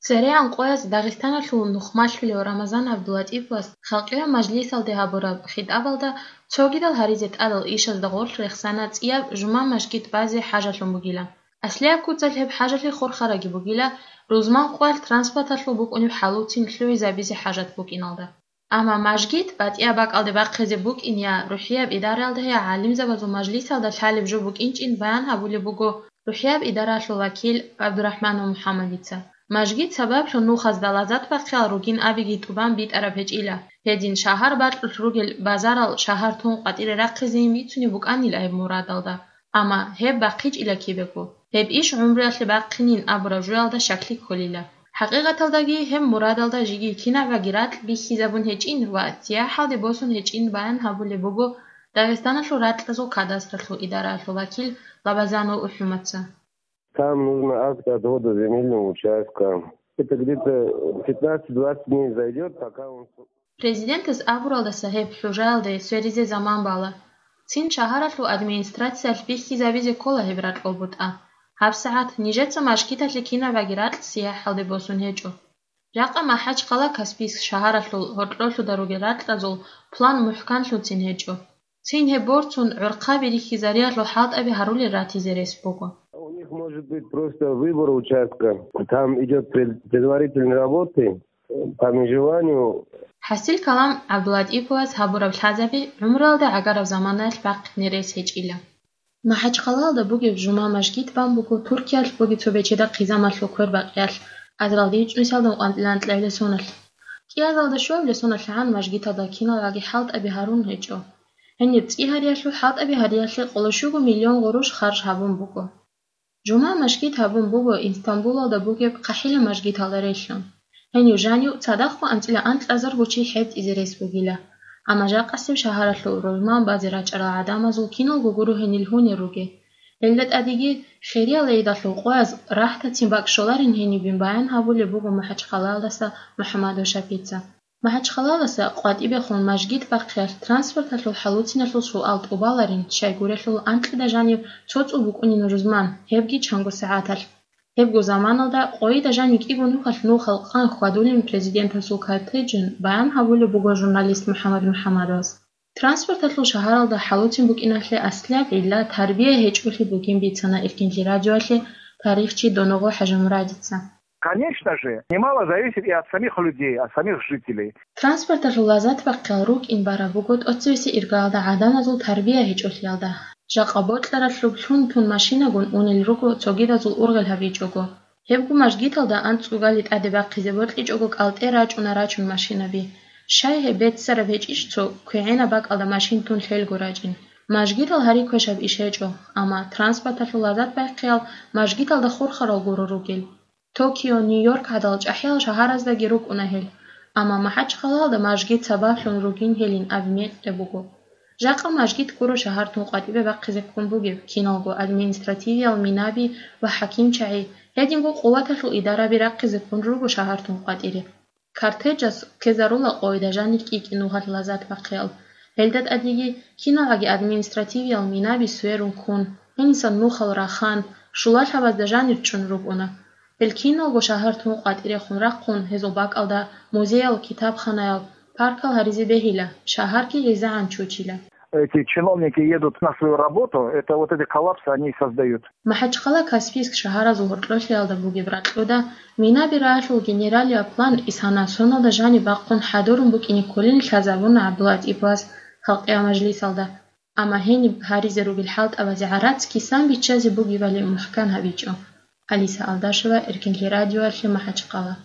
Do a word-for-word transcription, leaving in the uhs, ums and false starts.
ЦерегӀан къояз Дагъистаналъул нухмалъулев Рамазан ГӀабдулатӀиповас халкъияв мажлисалде гьабураб хитӀабалда цогидал гьаризе тӀадал ишазда гъорлъ рехсана цӀияб жума мажгит базе хӀажалъун бугила. Аслияб куцалъ гьеб хӀажалъи хурхараги бугила, рузман къоялъ транспорталъул букӀунеб хӀалуцин лъугӀизабизе хӀажат букӀиналда. Амма мажгит батӀияб бакӀалде бахъизе букӀин я рухӀияб идараялда, я гӀалимзабазул мажлисалда лъалеб жо букӀинчӀин баян гьабулеб буго рухӀияб идараялъул вакил ГӀабдурахӀманов МухӀаммадица. Мажгит сабаблъун нухазда лазат бахъиял ругин абиги тӀубан битӀараб гьечӀила. Гьедин шагьар бакьулъ ругел базарал шагьар тун къватӀире рахъизейин бицунеб букӀанила гьеб мурадалда. Амма гьеб бахъичӀила кибего. Гьеб иш гӀумруялъе бахъинин абураб жоялда щаклъи кколила. ХӀакъикъаталдаги гьеб мурадалда жеги кинабаги ракь бихьизабун гьечӀин ва сияхӀалде босун гьечӀин баян гьабулеб буго Дагъистаналъул ракьазул кадастралъул идараялъул вакил Лабазанов УхӀумаца. Там нужно акт отвода земельного участка. Это где-то пятнадцать-двадцать дней зайдёт, пока он... Президентас абуралдаса гьеб хӀужаялде сверизе заман бала. Цин шагьаралъул администрациялъ бихьизабизе ккола гьеб ракьул бутӀа. ГьабсагӀат нижеца мажгиталъе кинабаги ракь сияхӀалде босун гьечӀо. Жакъа МахӀачхъала Каспийск шагьаралъул гьоркьолъуда ругел ракьазул план мухӀканлъуцин гьечӀо. Цин гьеб борцун гӀорхъаби рихьизариялъул хӀалтӀаби гьарулел ратизе рес буго. У них может быть просто выбор участка. Там идёт пред-, предварительные работы по межеванию. ХӀасил калам ГӀабдулатӀиповас гьабураб лъазаби гӀумруялда гӀагараб заманаялъ бахъине рес гьечӀила. МахӀачхъалалда бугеб жума мажгит бан буго Туркиялъ бугеб цо бечедахъ хъизамалъул квербакъиялъ, азаралда ичӀнусиялда анкьила анкьабилеб соналъ. КӀиазалда щуабилеб соналъ гӀан мажгиталда киналги хӀалтӀаби гьарун гьечӀо. Гьениб цӀи гьариялъул хӀалтӀаби гьариялъе къоло щуго миллион гъурущ харж гьабун буго. Жума мажгит гьабун буго Инстамбулалда бугеб ХъахӀила мажгиталда релълъун. Гьенив жанив цадахъго анцӀила анкьазарго чи хӀетӀизе рес бугила. Амма жакъасеб шагьаралъул рузман базе рачӀарал гӀадамазул киналго гуро гьенил гьунер ругел. Гьелда тӀадеги хириял гӀидалъул къояз рахӀтацин бакӀ щоларин гьенибин баян гьабулеб буго МахӀачхъалаялдаса МухӀаммадов Шапица. МахӀачхъалаялдаса къватӀибехун мажгит бахъиялъ транспорталъул хӀалуциналъул суал тӀубаларин, щайгурелъул анкьида жанив цо цӀу букӀунин рузман, гьебги чанго сагӀаталъ. Гьебго заманалда къойида жанив кӀиго нухалъ нухал къан хьвадулин президентасул кортежин баян гьабулеб буго журналист МухӀаммад МухӀаммадовас. Транспорталъул шагьаралда хӀалуцин букӀиналъе аслияб гӀилла тарбия гьечӀолъи бугин бицана Эркинлъи радиоялъе тарихчи Доногъо ХӀажимурадица. Конечно же, немало зависит и от самих людей, от самих жителей. Транспорталъул лазат бахъал рукӀин бараб буго тӀоцевесе иргаялда гӀадамазул тарбия гьечӀолъиялда. Жакъа бокьаралъуб лъун-тун машинагун унел руго цогидазул ургъел гьабичӀого. Гьебго мажгиталда анцӀцӀугали тӀаде бахъизе бокьичӀого кӀалтӀе рачӀуна рачун машинаби. Щай гьеб беццараб гьечӀищ цо квегӀенаб бакӀалда машин тун лъелго рачӀин? Мажгитал гьари квешаб иш гьечӀо, амма транспорталъул лазат бахъиял мажгиталда хурхарал гуро ругел. Токио, Нью-Йорк гӀадал чӀахӀиял шагьараздаги рукӀуна гьел, амма МахӀачхъалаялда мажгит сабаблъун ругин гьелин абизе кье буго. Жакъа мажгит гуро шагьар тун къватӀибе бахъизе ккун бугеб, киналго административиял минаби ва хӀакимчагӀи, гьединго къуваталъул идараби рахъизе ккун руго шагьар тун къватӀире. Кортежас ккезарула къойида жанир кӀи-кӀи нухалъ лазат бахъиял. Гьелда тӀадеги киналги административиял минаби сверун ккун, гьенисан нухал рахан, щулалъабазда жанир чӀун рукӀуна. Гьел киналго шагьар тун къватӀирехун рахъун, гьезул бакӀалда музеял, китабханаял, паркал гьаризе бегьила, шагьарги гӀезегӀан чучила. Эти чиновники едут на свою работу, это вот эти коллапсы они и создают. МахӀачхъала, Каспийск шагьаразул гьоркьолъиялда бугеб ракьуда минаби раялъул генералияб план исана соналда жаниб бахъун хӀадурун букӀине кколин лъазабуна ГӀабдулатӀиповас халкъиял мажлисалда. Амма гьениб гьаризе ругел хӀалтӀабазе гӀарац кисан биччазе бугебали мухӀкан гьабичӀо. Алиса Алдашева, Эркинлъи радиоялъе, МахӀачхъала.